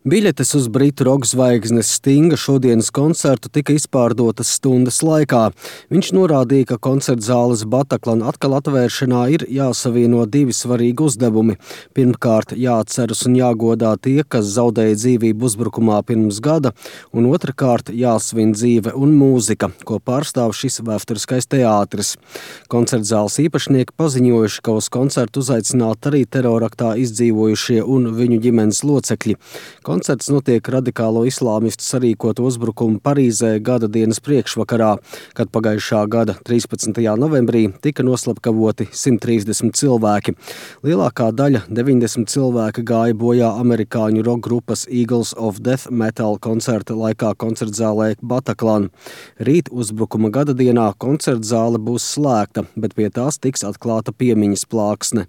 Biļetes uz britu roka zvaigznes Stinga šodienas koncertu tika izpārdotas stundas laikā. Viņš norādīja, ka koncerta zāles Bataclan atkal atvēršanā ir jāsavieno divi svarīgi uzdevumi. Pirmkārt, jāatceras un jāgodā tie, kas zaudēja dzīvību uzbrukumā pirms gada, un otrkārt, jāsvin dzīve un mūzika, ko pārstāv šis vēsturiskais teātris. Koncerta zāles īpašnieki paziņojuši, ka uz koncertu uzaicināti arī teroraktā izdzīvojušie un viņu ģimenes locekļi. Koncerts notiek radikālo islāmistu sarīkotu uzbrukumu Parīzē gada dienas priekšvakarā, kad pagājušā gada 13. novembrī tika noslapkavoti 130 cilvēki. Lielākā daļa, 90 cilvēki, gāja bojā amerikāņu roka grupas Eagles of Death Metal koncerta laikā koncertzālē Bataclan. Rīt uzbrukuma gada dienā koncertzāle būs slēgta, bet pie tās tiks atklāta piemiņas plāksne.